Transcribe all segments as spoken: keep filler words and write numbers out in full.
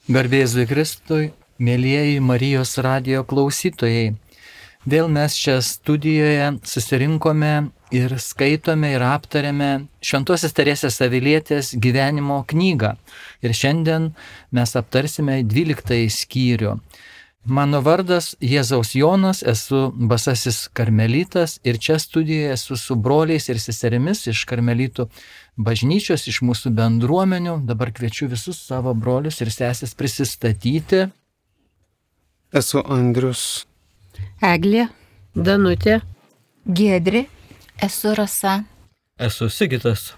Garbė Jėzui Kristui, mėlyjeji Marijos radijo klausytojai. Vėl mes čia studijoje susirinkome ir skaitome ir aptarėme Šventosios Teresės Avilietės gyvenimo knygą. Ir šiandien mes aptarsime dvyliktąjį skyrių. Mano vardas Jėzaus Jonas, esu Basasis karmelitas ir čia studijoje esu su broliais ir seserimis iš karmelitų bažnyčios, iš mūsų bendruomenių. Dabar kviečiu visus savo brolius ir seses prisistatyti. Esu Andrius. Eglė. Danutė. Giedrė. Esu Rasa. Esu Sigitas.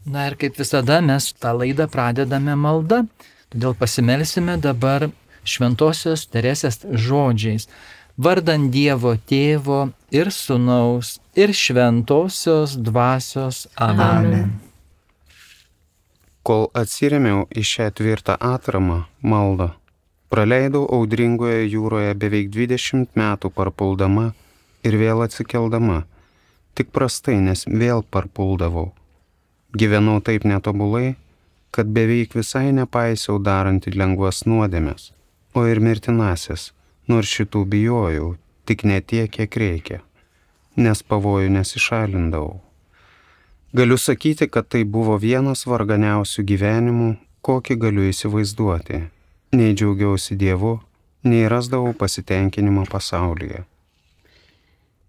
Na ir kaip visada mes tą laidą pradedame malda, todėl pasimelsime dabar Šventosios Teresės žodžiais. Vardan Dievo Tėvo ir Sūnaus ir Šventosios Dvasios. Amen. Amen. Kol atsirėmiau į šią tvirtą atramą, maldą, praleidau audringoje jūroje beveik dvidešimt metų parpuldama ir vėl atsikeldama. Tik prastai, nes vėl parpuldavau. Gyvenau taip netobulai, kad beveik visai nepaisiau darant lengvas nuodėmes, o ir mirtinasis, nors šitų bijojau, tik ne tiek, kiek reikia, nes pavojų nesišalindavau. Galiu sakyti, kad tai buvo vienas varganiausių gyvenimų, kokį galiu įsivaizduoti. Nei džiaugiausi Dievu, nei rasdavau pasitenkinimą pasaulyje.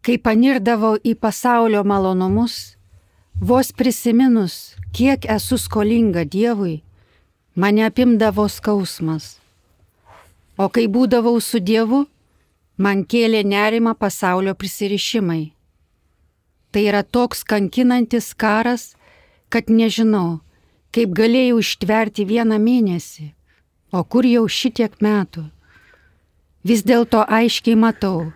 Kai panirdavau į pasaulio malonumus, vos prisiminus, kiek esu skolinga Dievui, mane apimdavo skausmas. O kai būdavau su Dievu, man kėlė nerimą pasaulio prisirišimai. Tai yra toks kankinantis karas, kad nežinau, kaip galėjau ištverti vieną mėnesį, o kur jau šitiek metų. Vis dėlto aiškiai matau,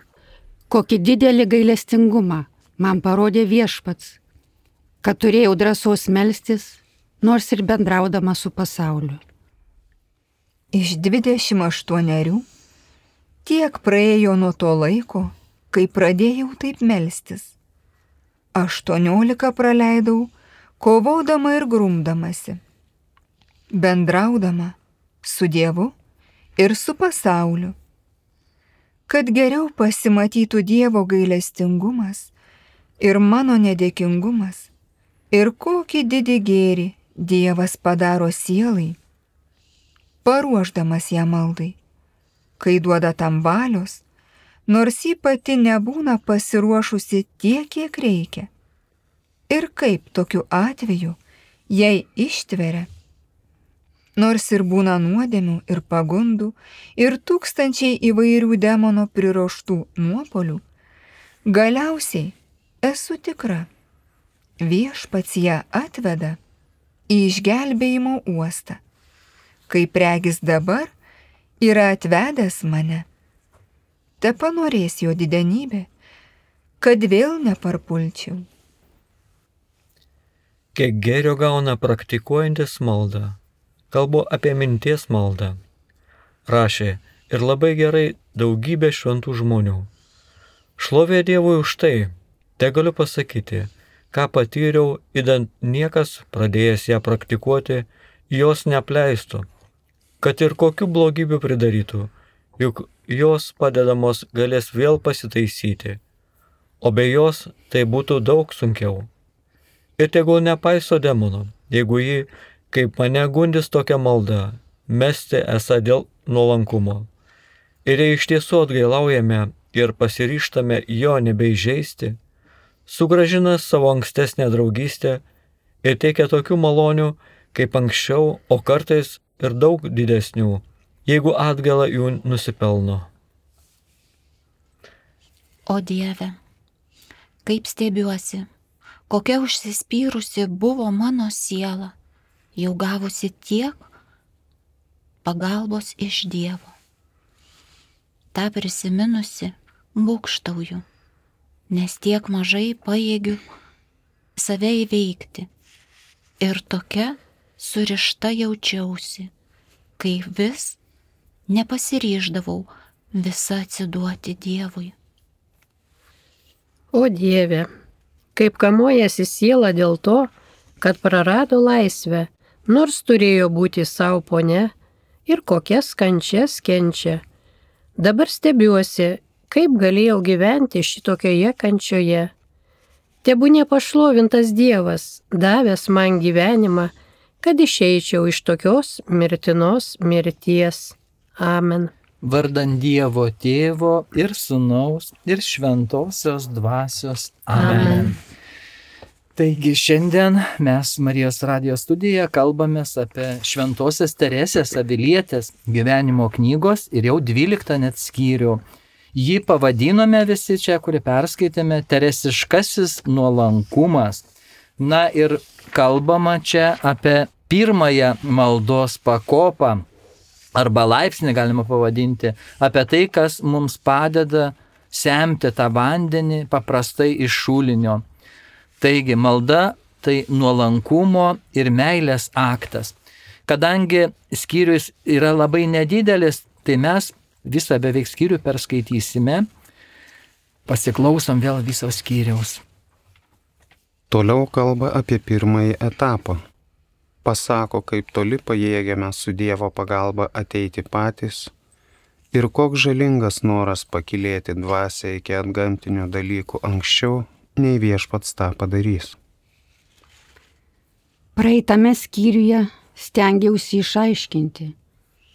kokį didelį gailestingumą man parodė Viešpats, kad turėjau drąsos melstis, nors ir bendraudama su pasauliu. Iš dvidešimt aštuonerių tiek praėjo nuo to laiko, kai pradėjau taip melstis. Aštuoniolika praleidau, kovodama ir grumdamasi, bendraudama su Dievu ir su pasauliu. Kad geriau pasimatytų Dievo gailestingumas ir mano nedėkingumas, ir kokį didį gėrį Dievas padaro sielai, paruošdamas ją maldai, kai duoda tam valios, nors ji pati nebūna pasiruošusi tiek, kiek reikia. Ir kaip tokiu atveju jai ištveria, nors ir būna nuodėmių ir pagundų, ir tūkstančiai įvairių demono priruoštų nuopuolių, galiausiai esu tikra, Viešpats ją atveda į išgelbėjimo uostą, kaip regis dabar yra atvedęs mane. Tepanorės jo didenybė, kad vėl neparpulčiau. Kiek gėrio gauna praktikuojantis maldą. Kalbu apie minties maldą. Rašė ir labai gerai daugybė šventų žmonių. Šlovė Dievui už tai, te galiu pasakyti, ką patyriau, idant niekas, pradėjęs ją praktikuoti, jos neapleistų, kad ir kokių blogybių pridarytų, juk jos padedamos galės vėl pasitaisyti, o be jos tai būtų daug sunkiau. Ir tegul nepaiso demono, jeigu jį, kaip mane gundys tokia malda, mesti esą dėl nuolankumo. Ir jei iš tiesų atgailaujame ir pasiryžtame jo nebeįžeisti, sugrąžina savo ankstesnę draugystę ir teikia tokių malonių, kaip anksčiau, o kartais ir daug didesnių, jeigu atgailą jų nusipelno. O Dieve, kaip stebiuosi, kokia užsispyrusi buvo mano siela, jau gavusi tiek pagalbos iš Dievo. Ta prisiminusi būgštauju, nes tiek mažai pajėgiu save įveikti. Ir tokia surišta jaučiausi, kai vis nepasiryždavau visą atsiduoti Dievui. O Dieve, kaip kamuojasi siela dėl to, kad prarado laisvę, nors turėjo būti savo ponia ir kokias kančias kenčia. Dabar stebiuosi, kaip galėjau gyventi šitokioje kančioje. Tebūnie pašlovintas Dievas, davęs man gyvenimą, kad išeičiau iš tokios mirtinos mirties. Amen. Vardant Dievo Tėvo ir Sūnaus ir Šventosios Dvasios. Amen. Amen. Taigi šiandien mes Marijos radijo studijoje kalbamės apie Šventosios Teresės Avilietės gyvenimo knygos ir jau dvyliktą net skyrių. Jį pavadinome visi čia, kurį perskaitėme, teresiškasis nuolankumas. Na ir kalbama čia apie pirmąją maldos pakopą, arba laipsnį galima pavadinti, apie tai, kas mums padeda semti tą vandenį paprastai iš šulinio. Taigi malda tai nuolankumo ir meilės aktas. Kadangi skyrius yra labai nedidelis, tai mes visą beveik skyrių perskaitysime. Pasiklausom vėl viso skyriaus. Toliau kalba apie pirmąjį etapą. Pasako, kaip toli pajėgiame su Dievo pagalba ateiti patys ir koks žalingas noras pakilėti dvasią iki antgamtinių dalykų anksčiau, nei viešpats tą padarys. Praeitame skyriuje stengiausi išaiškinti,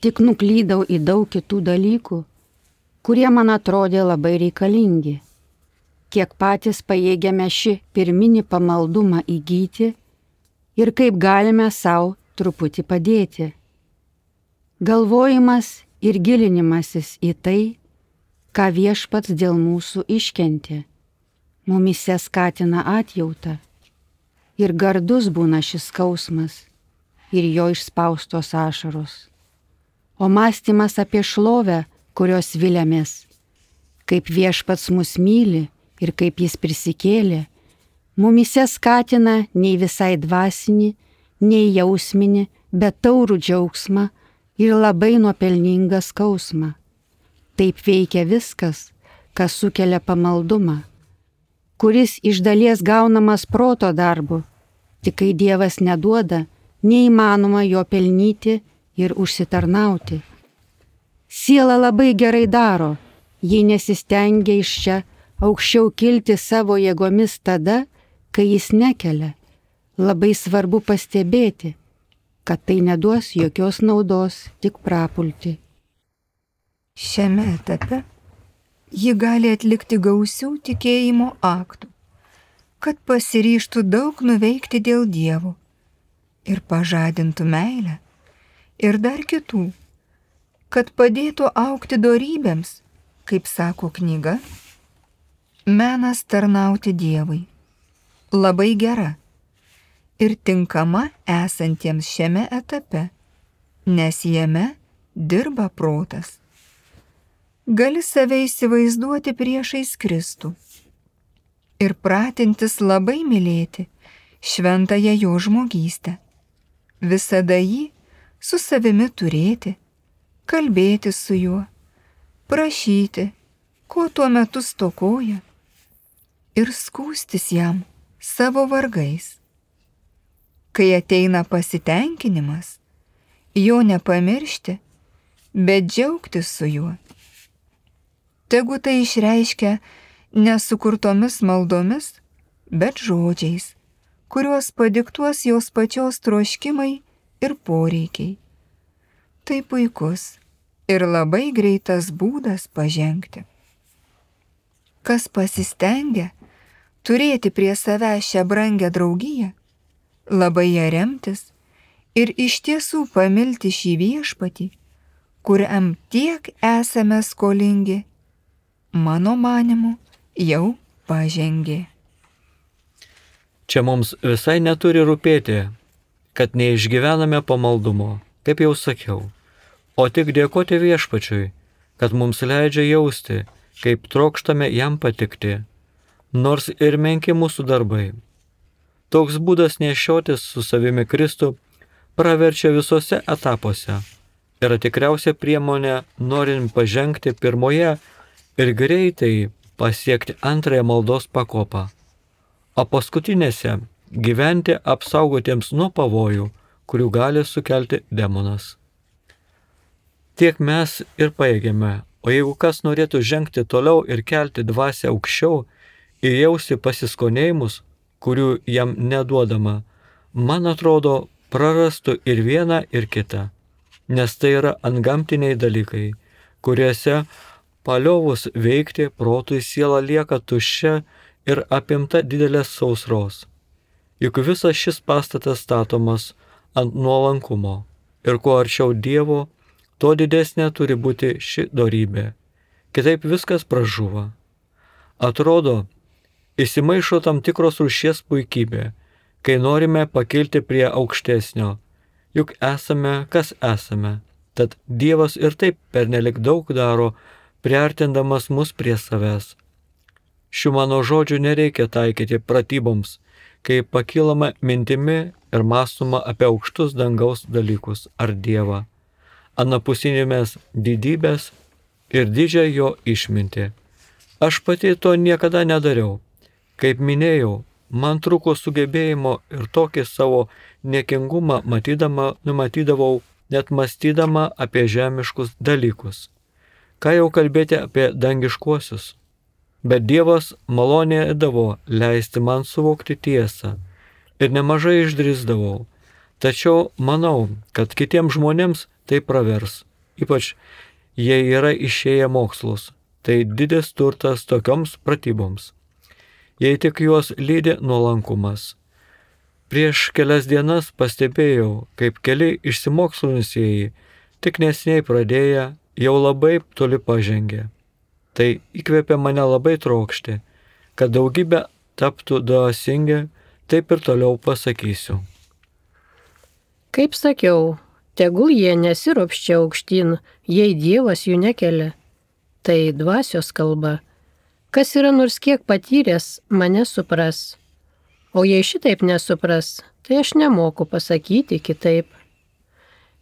tik nuklydau į daug kitų dalykų, kurie man atrodė labai reikalingi. Kiek patys pajėgiame šį pirminį pamaldumą įgyti ir kaip galime savo truputį padėti. Galvojimas ir gilinimasis į tai, ką viešpats dėl mūsų iškentė, mumise skatina atjautą ir gardus būna šis skausmas ir jo išspaustos ašaros. O mąstymas apie šlovę, kurios viliamės, kaip viešpats mus myli ir kaip jis prisikėlė, mumise skatina nei visai dvasinį, nei jausminį, bet taurų džiaugsmą ir labai nuopelningą skausmą. Taip veikia viskas, kas sukelia pamaldumą, kuris iš dalies gaunamas proto darbu, tik kai Dievas neduoda, neįmanoma jo pelnyti ir užsitarnauti. Siela labai gerai daro, jei nesistengia iš čia aukščiau kilti savo jėgomis tada, kai jis nekelia. Labai svarbu pastebėti, kad tai neduos jokios naudos, tik prapulti. Šiame etape ji gali atlikti gausių tikėjimo aktų, kad pasiryžtų daug nuveikti dėl Dievo ir pažadintų meilę ir dar kitų, kad padėtų augti dorybėms, kaip sako knyga, menas tarnauti Dievui, labai gera ir tinkama esantiems šiame etape, nes jame dirba protas. Gali save įsivaizduoti priešais Kristų ir pratintis labai mylėti šventąją jo žmogystę, visada jį su savimi turėti, kalbėti su juo, prašyti, ko tuo metu stokoja ir skųstis jam savo vargais. Kai ateina pasitenkinimas, jo nepamiršti, bet džiaugtis su juo. Tegu tai išreiškia nesukurtomis maldomis, bet žodžiais, kuriuos padiktuos jos pačios troškimai ir poreikiai. Tai puikus ir labai greitas būdas pažengti. Kas pasistengia turėti prie savęs šią brangę draugiją, labai ją remtis ir iš tiesų pamilti šį viešpatį, kuriam tiek esame skolingi, mano manimu, jau pažengė. Čia mums visai neturi rūpėti, kad neišgyvename pamaldumo, kaip jau sakiau, o tik dėkoti viešpačiui, kad mums leidžia jausti, kaip trokštame jam patikti, nors ir menki mūsų darbai. Toks būdas nešiotis su savimi Kristų praverčia visose etapuose, yra tikriausia priemonė norint pažengti pirmoje ir greitai pasiekti antrąją maldos pakopą, o paskutinėse gyventi apsaugotiems nuo pavojų, kurių gali sukelti demonas. tiek mes ir pajėgėme, o jeigu kas norėtų žengti toliau ir kelti dvasią aukščiau ir jausti pasiskonėjimus, kurių jam neduodama, man atrodo, prarastų ir vieną, ir kitą, nes tai yra antgamtiniai dalykai, kuriuose paliovus veikti protui siela lieka tuščia ir apimta didelės sausros. Juk visas šis pastatas statomas ant nuolankumo ir kuo arčiau Dievo, tuo didesnė turi būti ši dorybė. Kitaip viskas pražūva. Atrodo, įsimaišo tam tikros rūšies puikybė, kai norime pakilti prie aukštesnio. Juk esame, kas esame. Tad Dievas ir taip pernelik daug daro, priartindamas mus prie savęs. Šių mano žodžių nereikia taikyti pratyboms, kai pakilama mintimi ir mąstoma apie aukštus dangaus dalykus ar Dievą, anapusinėmis didybės ir didžią jo išmintį. Aš pati to niekada nedariau. Kaip minėjau, man trūko sugebėjimo ir tokį savo niekingumą matydama, numatydavau, net mąstydama apie žemiškus dalykus. Ką jau kalbėti apie dangiškuosius. Bet Dievas malonėdavo leisti man suvokti tiesą ir nemažai išdrįsdavau. Tačiau manau, kad kitiems žmonėms tai pravers, ypač jei yra išėję mokslus. Tai didis turtas tokioms pratyboms, jei tik juos lydi nuolankumas. Prieš kelias dienas pastebėjau, kaip keli išsimokslinusieji, tik nesiniai pradėję, jau labai toli pažengė. Tai įkvėpė mane labai trokšti, kad daugybė taptų dvasingi, taip ir toliau pasakysiu. Kaip sakiau, tegul jie nesiropščia aukštyn, jei Dievas jų nekelia. Tai dvasios kalba. Kas yra nors kiek patyręs, mane supras. O jei šitaip nesupras, tai aš nemoku pasakyti kitaip.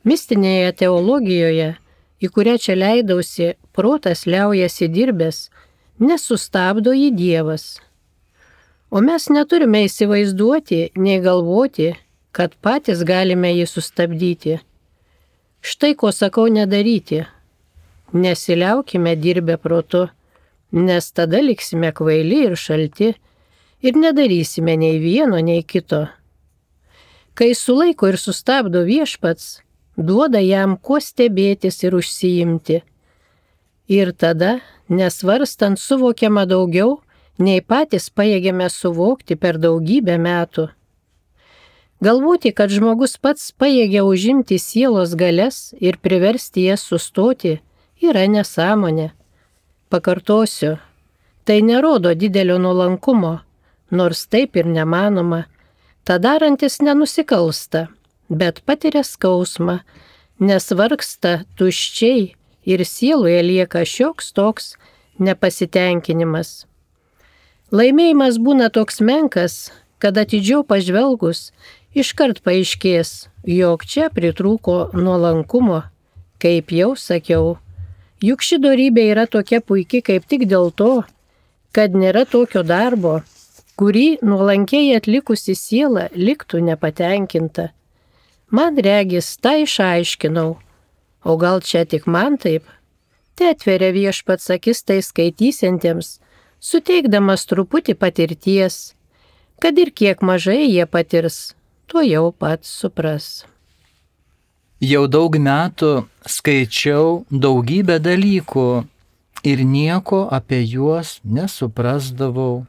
Mistinėje teologijoje, į kurią čia leidausi, protas liaujasi dirbęs, nesustabdo jį Dievas. O mes neturime įsivaizduoti, nei galvoti, kad patys galime jį sustabdyti. Štai ko sakau nedaryti. Nesiliaukime dirbę protu, nes tada liksime kvaili ir šalti ir nedarysime nei vieno, nei kito. Kai sulaiko ir sustabdo viešpats, duoda jam kuo stebėtis ir užsiimti. Ir tada, nesvarstant, suvokiama daugiau, nei patys pajėgiame suvokti per daugybę metų. Galvoti, kad žmogus pats pajėgia užimti sielos galias ir priversti jas sustoti, yra nesąmonė. Pakartosiu, tai nerodo didelio nuolankumo, nors taip ir nemanoma. Ta darantis nenusikalsta, bet patiria skausmą, nes vargsta tuščiai ir sieloje lieka šioks toks nepasitenkinimas. Laimėjimas būna toks menkas, kad atidžiau pažvelgus iškart paaiškės, jog čia pritrūko nuolankumo, kaip jau sakiau. Juk ši dorybė yra tokia puiki kaip tik dėl to, kad nėra tokio darbo, kurį nuolankiai atlikusi siela liktų nepatenkinta. Man regis, tą išaiškinau, o gal čia tik man taip? Tai atveria viešpats akis tai skaitysiantiems, suteikdamas truputį patirties, kad ir kiek mažai jie patirs, tuo jau pats supras. Jau daug metų skaičiau daugybę dalykų ir nieko apie juos nesuprasdavau.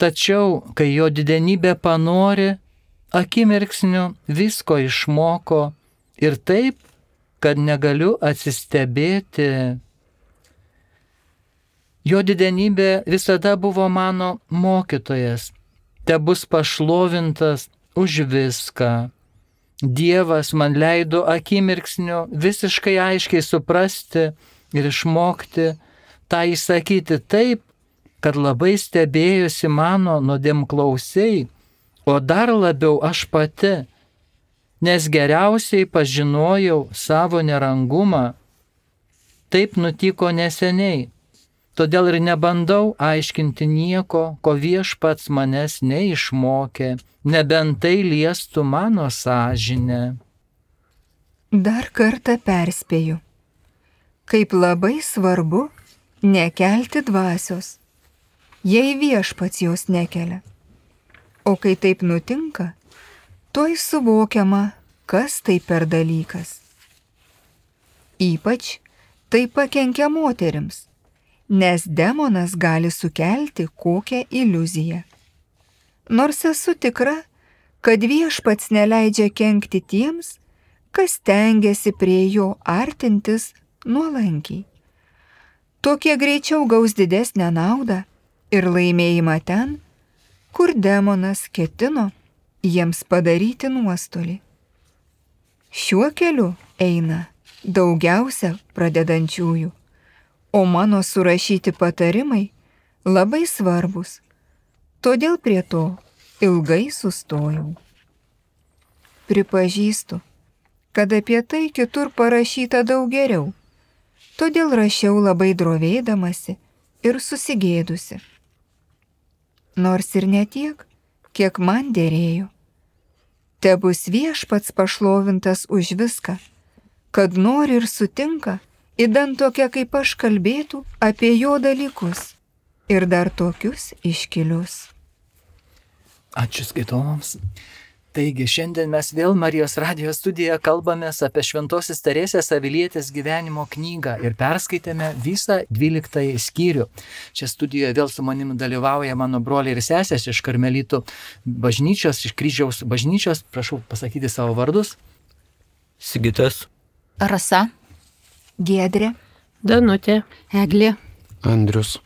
Tačiau, kai jo didenybė panori, akimirksniu visko išmoko ir taip, kad negaliu atsistebėti. Jo didenybė visada buvo mano mokytojas, tebus pašlovintas už viską. Dievas man leido akimirksniu visiškai aiškiai suprasti ir išmokti tą įsakyti taip, kad labai stebėjusi mano nuodėmklausiai, o dar labiau aš pati, nes geriausiai pažinojau savo nerangumą. Taip nutiko neseniai, todėl ir nebandau aiškinti nieko, ko viešpats manęs neišmokė, nebent tai liestų mano sąžinę. Dar kartą perspėju, kaip labai svarbu nekelti dvasios, jei viešpats jos nekelia. O kai taip nutinka, tuoj suvokiama, kas tai per dalykas. Ypač tai pakenkia moterims, nes demonas gali sukelti kokią iliuziją. Nors esu tikra, kad viešpats neleidžia kenkti tiems, kas tengiasi prie jo artintis nuolankiai. Tokie greičiau gaus didesnę naudą ir laimėjimą ten, kur demonas ketino jiems padaryti nuostolį. Šiuo keliu eina daugiausia pradedančiųjų, o mano surašyti patarimai labai svarbus, todėl prie to ilgai sustojau. Pripažįstu, kad apie tai kitur parašyta daug geriau, todėl rašiau labai drovėdamasi ir susigėdusi. Nors ir ne tiek, kiek man dėrėjo. Tebus viešpats pašlovintas už viską, kad nori ir sutinka, idant tokia kaip aš kalbėtų apie jo dalykus ir dar tokius iškilius. Ačiū skaitovams. Taigi šiandien mes vėl Marijos radijo studijoje kalbamės apie Šventosios Teresės Avilietės gyvenimo knygą ir perskaitėme visą dvyliktąjį skyrių. Čia studijoje vėl su manimi dalyvauja mano broliai ir sesės iš Karmelitų bažnyčios, iš Kryžiaus bažnyčios. Prašau pasakyti savo vardus. Sigitas, Rasa, Giedrė, Danutė, Eglė. Andrius.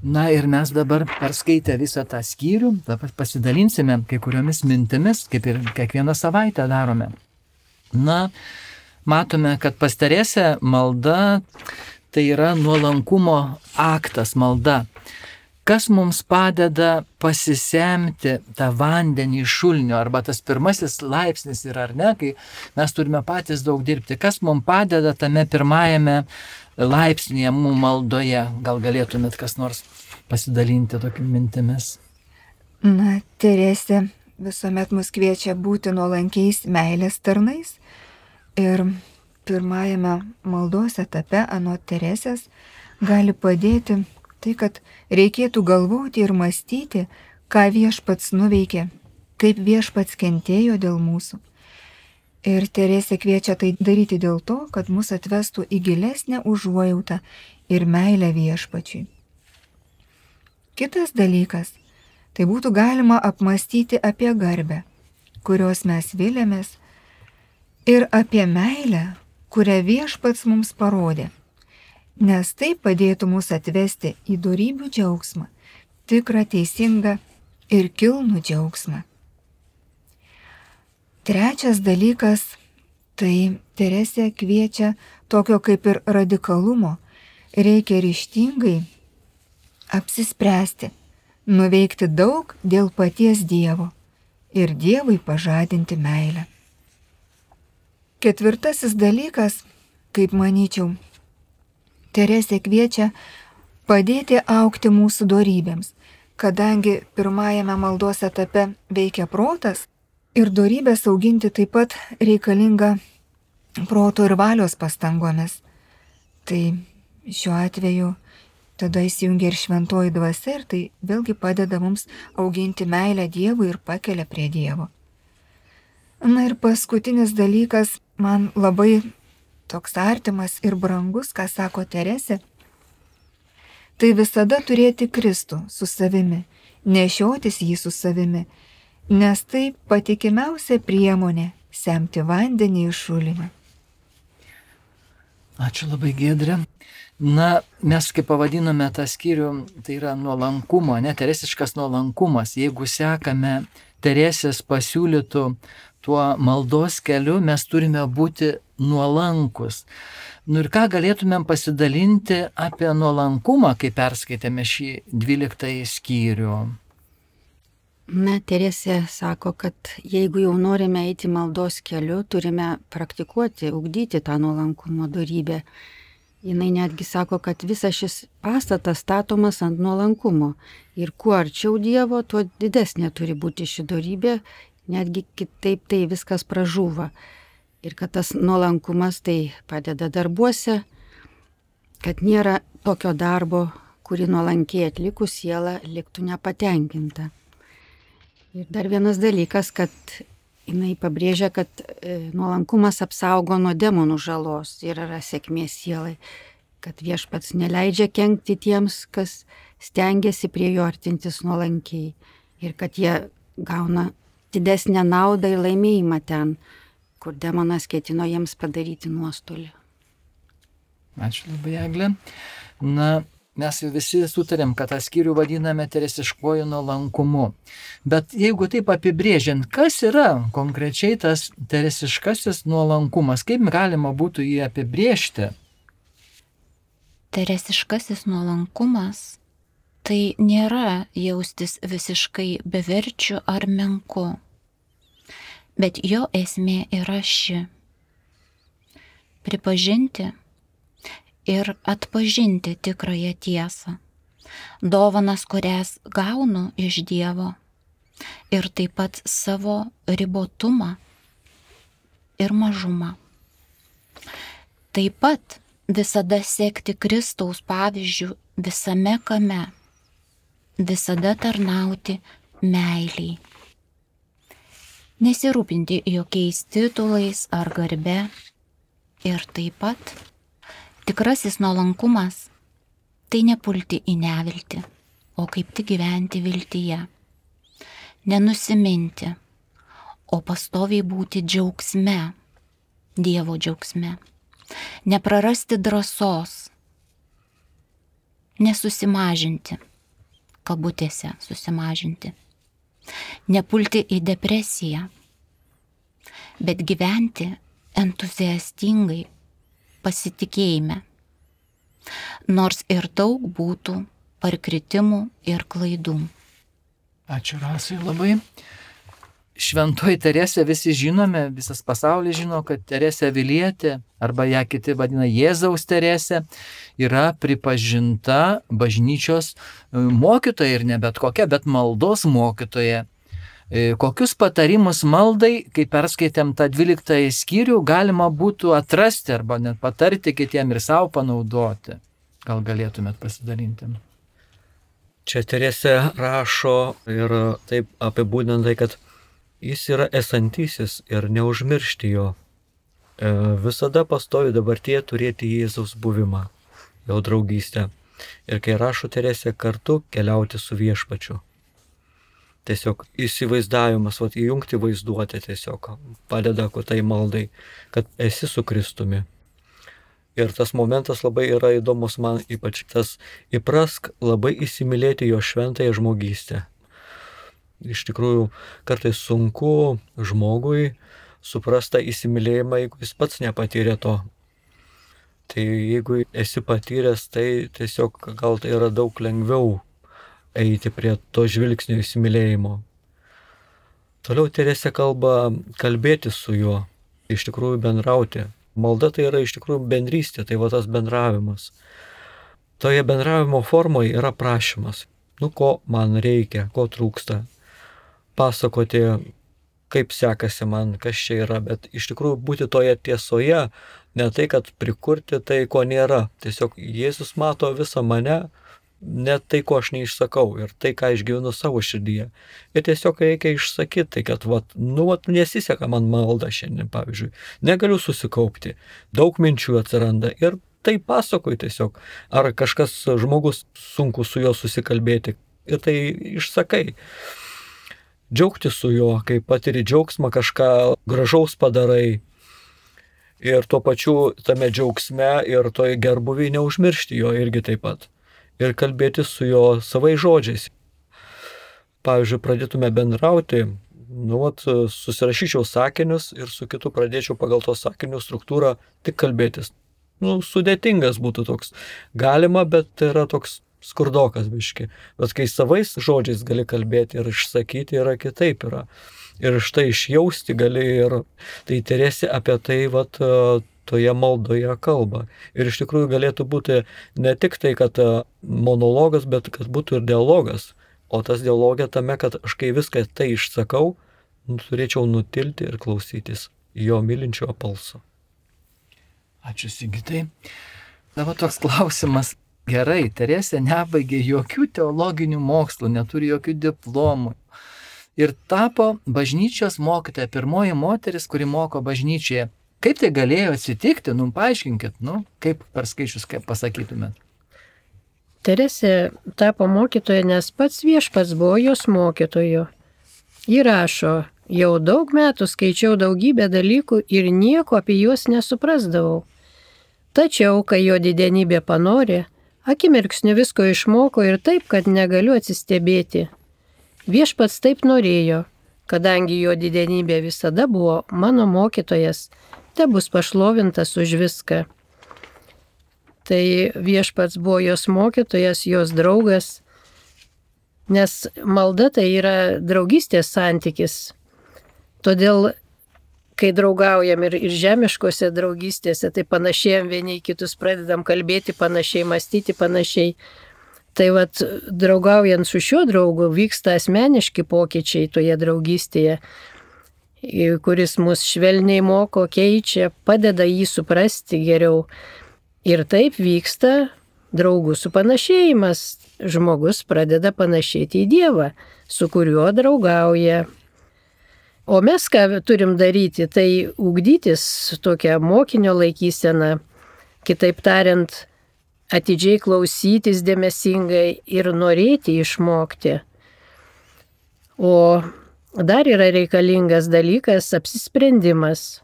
Na ir mes dabar perskaitę visą tą skyrių, dabar pasidalinsime kai kuriomis mintimis, kaip ir kiekvieną savaitę darome. Na, matome, kad pas Teresę malda tai yra nuolankumo aktas, malda. Kas mums padeda pasisemti tą vandenį iš šulinio, arba tas pirmasis laipsnis yra, ar ne, kai mes turime patys daug dirbti. Kas mums padeda tame pirmajame laipsnėje mūsų maldoje? Gal galėtumėt kas nors pasidalinti tokiamis mintimis? Na, Teresė visuomet mus kviečia būti nuolankiais meilės tarnais. Ir pirmajame maldos etape anot Teresės gali padėti tai, kad reikėtų galvoti ir mąstyti, ką viešpats nuveikė, kaip viešpats kentėjo dėl mūsų. Ir Teresė kviečia tai daryti dėl to, kad mus atvestų į gilesnę užuojautą ir meilę viešpačiui. Kitas dalykas, tai būtų galima apmąstyti apie garbę, kurios mes vilėmės, ir apie meilę, kurią viešpats mums parodė, nes tai padėtų mus atvesti į dorybių džiaugsmą, tikrą, teisingą ir kilnų džiaugsmą. Trečias dalykas, tai Teresė kviečia tokio kaip ir radikalumo. Reikia ryžtingai apsispręsti, nuveikti daug dėl paties Dievo ir Dievui pažadinti meilę. Ketvirtasis dalykas, kaip manyčiau, Teresė kviečia padėti augti mūsų dorybėms, kadangi pirmajame maldos etape veikia protas, ir dorybės auginti taip pat reikalinga proto ir valios pastangomis. Tai šiuo atveju tada įsijungia ir šventoji dvasia ir tai vėlgi padeda mums auginti meilę Dievui ir pakelia prie Dievo. Na ir paskutinis dalykas, man labai toks artimas ir brangus, ką sako Teresė, tai visada turėti Kristų su savimi, nešiotis jį su savimi, nes tai patikimiausia priemonė semti vandenį iš šulinio. Ačiū labai, Giedrė. Na, mes kaip pavadinome tą skyrių, tai yra nuolankumo, ne, teresiškas nuolankumas. Jeigu sekame Teresės pasiūlytų tuo maldos keliu, mes turime būti nuolankus. Nu ir ką galėtumėm pasidalinti apie nuolankumą, kai perskaitėme šį dvyliktąjį skyrių? Na, Teresė sako, kad jeigu jau norime eiti maldos keliu, turime praktikuoti, ugdyti tą nuolankumo dorybę. Jinai netgi sako, kad visas šis pastatas statomas ant nuolankumo. Ir kuo arčiau Dievo, tuo didesnė turi būti ši dorybė, netgi kitaip tai viskas pražūva. Ir kad tas nuolankumas tai padeda darbuose, kad nėra tokio darbo, kurį nuolankiai atlikus siela liktų nepatenkinta. Ir dar vienas dalykas, kad jinai pabrėžia, kad nuolankumas apsaugo nuo demonų žalos ir yra sėkmės sielai, kad viešpats neleidžia kenkti tiems, kas stengiasi prie jo artintis nuolankiai ir kad jie gauna didesnę naudą ir laimėjimą ten, kur demonas ketino jiems padaryti nuostolį. Ačiū labai, Eglė. Na, mes jau visi sutarėm, kad tą skyrių vadiname teresiškuoju nuolankumu. Bet jeigu taip apibrėžiant, kas yra konkrečiai tas teresiškasis nuolankumas, kaip galima būtų jį apibrėžti? Teresiškasis nuolankumas tai nėra jaustis visiškai beverčiu ar menku, bet jo esmė yra ši: pripažinti ir atpažinti tikrąją tiesą, dovanas, kurias gaunu iš Dievo, ir taip pat savo ribotumą ir mažumą. Taip pat visada sekti Kristaus pavyzdžių visame kame, visada tarnauti meiliai. Nesirūpinti jokiais titulais ar garbe ir taip pat tikrasis nuolankumas tai nepulti į neviltį, o kaip tik gyventi viltyje. Nenusiminti, o pastoviai būti džiaugsme, Dievo džiaugsme. Neprarasti drąsos, nesusimažinti, kabutėse susimažinti. Nepulti į depresiją, bet gyventi entuziastingai, pasitikėjime, nors ir daug būtų parkritimų ir klaidų. Ačiū, Rasai, labai. Šventoji Teresė visi žinome, visas pasaulis žino, kad Teresė Avilietė, arba ją kiti vadina Jėzaus Teresė, yra pripažinta bažnyčios mokytoja ir ne bet kokia, bet maldos mokytoja. Kokius patarimus maldai, kai perskaitėm tą dvyliktąjį skyrių, galima būtų atrasti arba net patarti kitiem ir savo panaudoti? Gal galėtumėt pasidalinti? Čia Teresė rašo ir taip apibūdintai, kad jis yra esantysis ir neužmiršti jo. E, visada pastovi dabartyje turėti Jėzaus buvimą, jo draugystę. Ir kai rašo Teresė, kartu keliauti su viešpačiu. Tiesiog įsivaizdavimas, vat, įjungti vaizduotę tiesiog padeda tai maldai, kad esi su Kristumi. Ir tas momentas labai yra įdomus man, ypač tas įprask labai įsimylėti jo šventąją žmogystę. Iš tikrųjų, kartais sunku žmogui suprasta įsimylėjimą, jeigu jis pats nepatyrė to. Tai jeigu esi patyręs, tai tiesiog gal tai yra daug lengviau eiti prie to žvilgsnio įsimylėjimo. Toliau Teresė kalba kalbėti su juo, iš tikrųjų bendrauti. Malda tai yra iš tikrųjų bendrystė, tai va tas bendravimas. Toje bendravimo formoje yra prašymas. Nu, ko man reikia, ko trūksta. Pasakoti, kaip sekasi man, kas čia yra, bet iš tikrųjų būti toje tiesoje, ne tai, kad prikurti tai, ko nėra. Tiesiog Jėzus mato visą mane, net tai, ko aš neišsakau ir tai, ką išgyvenu savo širdyje. Ir tiesiog reikia išsakyti, tai, kad vat, nu, vat, nesiseka man malda šiandien, pavyzdžiui. Negaliu susikaupti, daug minčių atsiranda ir tai pasakoju tiesiog. Ar kažkas žmogus sunku su juo susikalbėti ir tai išsakai. Džiaugti su juo, kai patiri džiaugsmą, kažką gražaus padarai. Ir tuo pačiu tame džiaugsme ir toj gerbuviai neužmiršti jo irgi taip pat. Ir kalbėti su jo savai žodžiais. Pavyzdžiui, pradėtume bendrauti, nu, vat, susirašyčiau sakinius ir su kitu pradėčiau pagal to sakinių struktūrą tik kalbėtis. Nu, sudėtingas būtų toks. Galima, bet tai yra toks skurdokas biški. Bet kai savais žodžiais gali kalbėti ir išsakyti, yra kitaip yra. Ir štai išjausti gali ir tai Teresė apie tai, vat, toje maldoje kalba. Ir iš tikrųjų galėtų būti ne tik tai, kad monologas, bet kad būtų ir dialogas. O tas dialogė tame, kad aš kai viską tai išsakau, turėčiau nutilti ir klausytis jo mylinčio balso. Ačiū, Sigitai. Dabar toks klausimas. Gerai, Teresė nebaigė jokių teologinių mokslų, neturi jokių diplomų. Ir tapo bažnyčios mokytoja, pirmoji moteris, kuri moko bažnyčioje. Kaip tai galėjo atsitikti? Nu, paaiškinkit, nu, kaip per skaičius, kaip pasakytumėt. Teresė tapo mokytoja, nes pats viešpats buvo jos mokytoju. Ji rašo, jau daug metų skaičiau daugybę dalykų ir nieko apie juos nesuprasdavau. Tačiau, kai jo didenybė panorė, akimirksniu visko išmoko ir taip, kad negaliu atsistebėti. Viešpats taip norėjo, kadangi jo didenybė visada buvo mano mokytojas, te bus pašlovintas už viską. Tai viešpats buvo jos mokytojas, jos draugas, nes malda tai yra draugystės santykis. Todėl, kai draugaujam ir, ir žemiškose draugystėse, tai panašiai vieni į kitus pradedam kalbėti panašiai, mąstyti panašiai. Tai vat, draugaujant su šiuo draugu vyksta asmeniški pokyčiai toje draugystėje, kuris mus švelniai moko, keičia, padeda jį suprasti geriau. Ir taip vyksta draugų supanašėjimas. Žmogus pradeda panašėti į Dievą, su kuriuo draugauja. O mes ką turim daryti, tai ugdytis tokią mokinio laikyseną, kitaip tariant, atidžiai klausytis dėmesingai ir norėti išmokti. O dar yra reikalingas dalykas – apsisprendimas.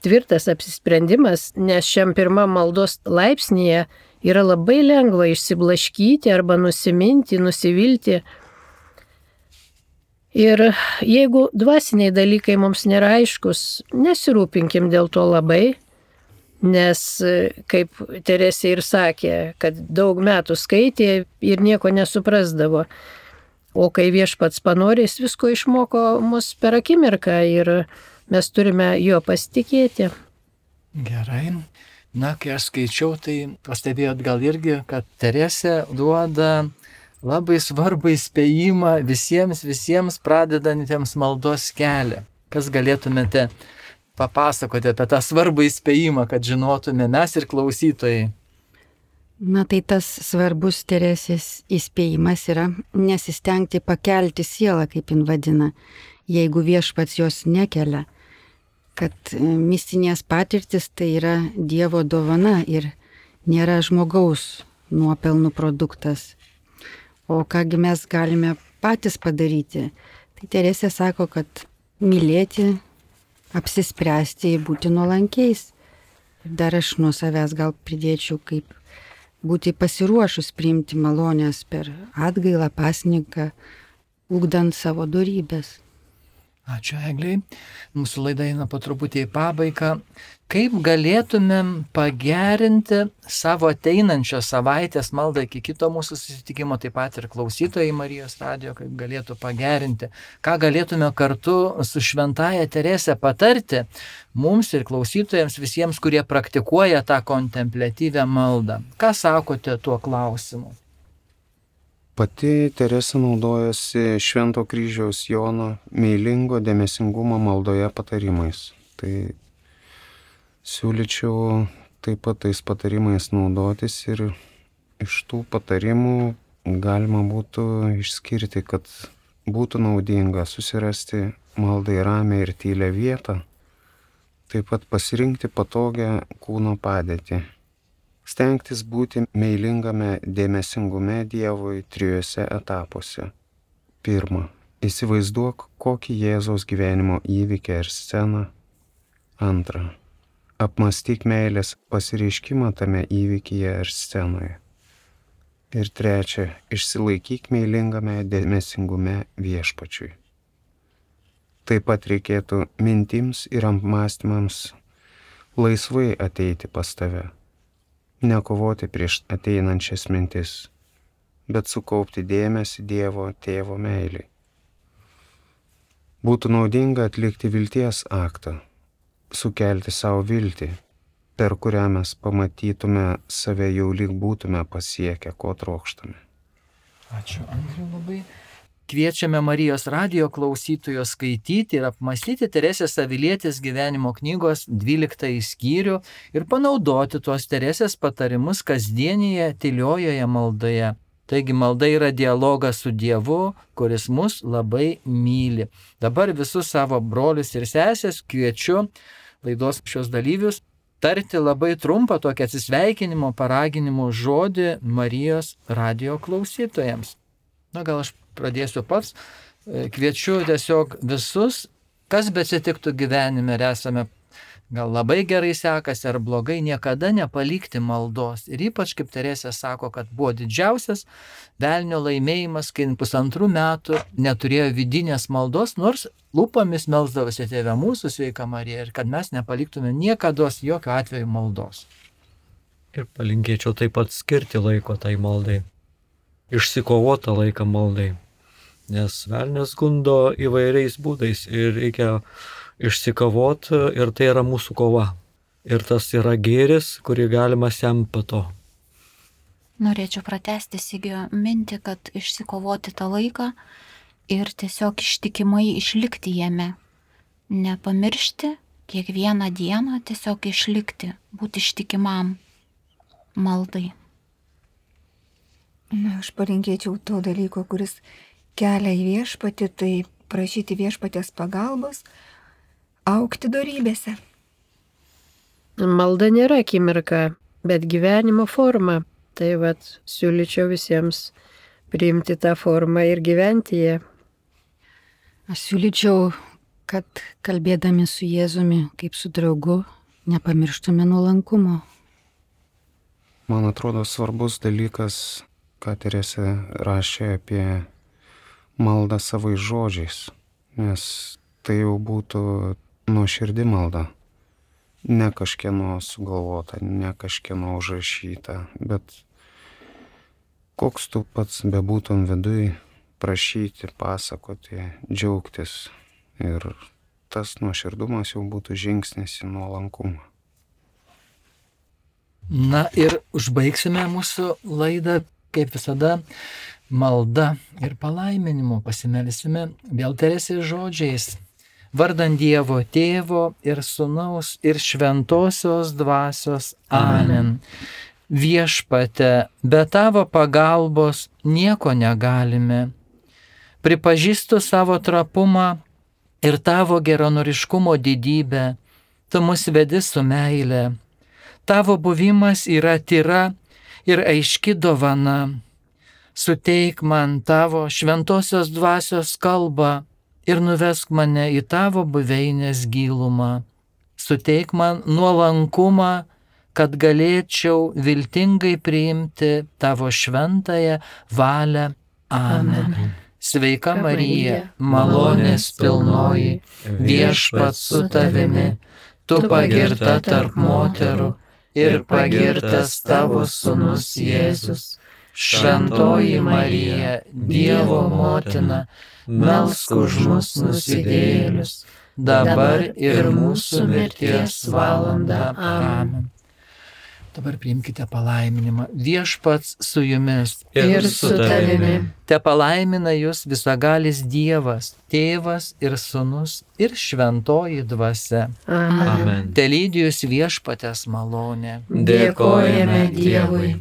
Tvirtas apsisprendimas, nes šiam pirmam maldos laipsnyje yra labai lengva išsiblaškyti arba nusiminti, nusivilti. Ir jeigu dvasiniai dalykai mums nėra aiškus, nesirūpinkim dėl to labai, nes, kaip Teresė ir sakė, kad daug metų skaitė ir nieko nesuprasdavo. O kai viešpats panorės, visko išmoko mus per akimirką ir mes turime juo pasitikėti. Gerai. Na, kai aš skaičiau, tai pastebėjot gal irgi, kad Teresė duoda labai svarbų įspėjimą visiems, visiems pradedantiems maldos kelią. Kas galėtumėte papasakoti apie tą svarbų įspėjimą, kad žinotume mes ir klausytojai? Na tai tas svarbus Teresės įspėjimas yra nesistengti pakelti sielą, kaip jin vadina, jeigu viešpats jos nekelia. Kad mistinės patirtis tai yra Dievo dovana ir nėra žmogaus nuopelnų produktas. O kągi mes galime patys padaryti? Tai Teresė sako, kad mylėti, apsispręsti ir būti nuolankiais. Ir dar aš nuo savęs gal pridėčiau, kaip būti pasiruošus priimti malonės per atgailą, pasninką, ugdant savo dorybės. Ačiū, Egliai. Mūsų laida eina po truputį į pabaigą. Kaip galėtumėm pagerinti savo ateinančios savaitės maldą iki kito mūsų susitikimo, taip pat ir klausytojai Marijos radijo, kaip galėtų pagerinti, ką galėtume kartu su šventaja Teresė patarti mums ir klausytojams visiems, kurie praktikuoja tą kontempliatyvę maldą. Ką sakote tuo klausimu? Pati Teresė naudojasi Švento kryžiaus Jono meilingo dėmesingumo maldoje patarimais. Tai siūlyčiau taip pat tais patarimais naudotis ir iš tų patarimų galima būtų išskirti, kad būtų naudinga susirasti maldai ramią ir tylę vietą, taip pat pasirinkti patogią kūno padėtį. Stengtis būti meilingame dėmesingume Dievui trijuose etapuose. Pirma, įsivaizduok kokį Jėzaus gyvenimo įvykį ar sceną. Antra, apmąstyk meilės pasireiškimą tame įvykyje ar scenoje. Ir trečia, išsilaikyk meilingame dėmesingume Viešpačiui. Taip pat reikėtų mintims ir apmąstymams laisvai ateiti pas tave. Nekovoti prieš ateinančias mintis, bet sukaupti dėmesį Dievo Tėvo meiliai. Būtų naudinga atlikti vilties aktą, sukelti savo viltį, per kurią mes pamatytume save jau lyg būtume pasiekę, ko trokštame. Ačiū, Andriu, labai. kviečiame Marijos radijo klausytojus skaityti ir apmastyti Teresės Avilietės gyvenimo knygos dvyliktąjį skyrių ir panaudoti tuos Teresės patarimus kasdienėje tyliojoje maldoje. Taigi malda yra dialogas su Dievu, kuris mus labai myli. Dabar visus savo brolius ir sesės kviečiu laidos šios dalyvius tarti labai trumpą tokį atsisveikinimo, paraginimo žodį Marijos radijo klausytojams. Na, gal aš pradėsiu pats. Kviečiu tiesiog visus, kas beatsitiktų gyvenime, ir esame gal labai gerai sekasi ar blogai, niekada nepalikti maldos. Ir ypač, kaip Teresė sako, kad buvo didžiausias velnio laimėjimas, kai pusantrų metų neturėjo vidinės maldos, nors lūpomis melsdavosi Tėve mūsų, sveika Marija, ir kad mes nepaliktume niekados jokio atveju maldos. Ir palinkėčiau taip pat skirti laiko tai maldai. Išsikovotą laiką maldai. Nes velnias gundo įvairiais būdais ir reikia išsikovoti ir tai yra mūsų kova. Ir tas yra gėris, kurį galima semti po to. Norėčiau pratęsti Sigio mintį, kad išsikovoti tą laiką ir tiesiog ištikimai išlikti jame. Nepamiršti kiekvieną dieną, tiesiog išlikti, būti ištikimam maldai. Na, aš palinkėčiau to dalyko, kuris kelia į viešpatį, tai prašyti viešpatės pagalbos, augti dorybėse. Malda nėra akimirka, bet gyvenimo forma. Tai vat siūlyčiau visiems priimti tą formą ir gyventi ją. Aš siūlyčiau, kad kalbėdami su Jėzumi kaip su draugu, nepamirštume nuolankumo. Man atrodo svarbus dalykas, ką Teresė rašė apie maldą savais žodžiais, nes tai jau būtų nuoširdi malda, ne kažkieno sugalvota, ne kažkieno užrašyta, bet koks tu pats bebūtum viduj, prašyti, pasakoti, džiaugtis, ir tas nuoširdumas jau būtų žingsnis į nuolankumą. Na ir užbaigsime mūsų laidą, kaip visada, malda ir palaiminimu. Pasimelsime vėl Teresės žodžiais. Vardant Dievo Tėvo ir Sūnaus ir Šventosios Dvasios. Amen. Viešpate, be tavo pagalbos nieko negalime. Pripažįstu savo trapumą ir tavo geranoriškumo didybę. Tu mus vedi su meile. Tavo buvimas yra tyra ir aiški dovana. Suteik man tavo šventosios dvasios kalbą ir nuvesk mane į tavo buveinės gilumą. Suteik man nuolankumą, kad galėčiau viltingai priimti tavo šventąją valią. Amen. Amen. Sveika Marija, malonės pilnoji, viešpats su tavimi, tu pagirta tarp moterų ir pagirtas tavo sūnus Jėzus. Šventoji Marija, Dievo motina, melsk už mus nusidėjėlius, dabar ir mūsų mirties valandą. Amen. Dabar priimkite palaiminimą. Viešpats su jumis ir su tavimi. Te palaimina jūs visagalis Dievas, Tėvas ir Sūnus ir Šventoji Dvasia. Amen. Amen. Te lydi jūs viešpatės malonė. Dėkojame Dievui.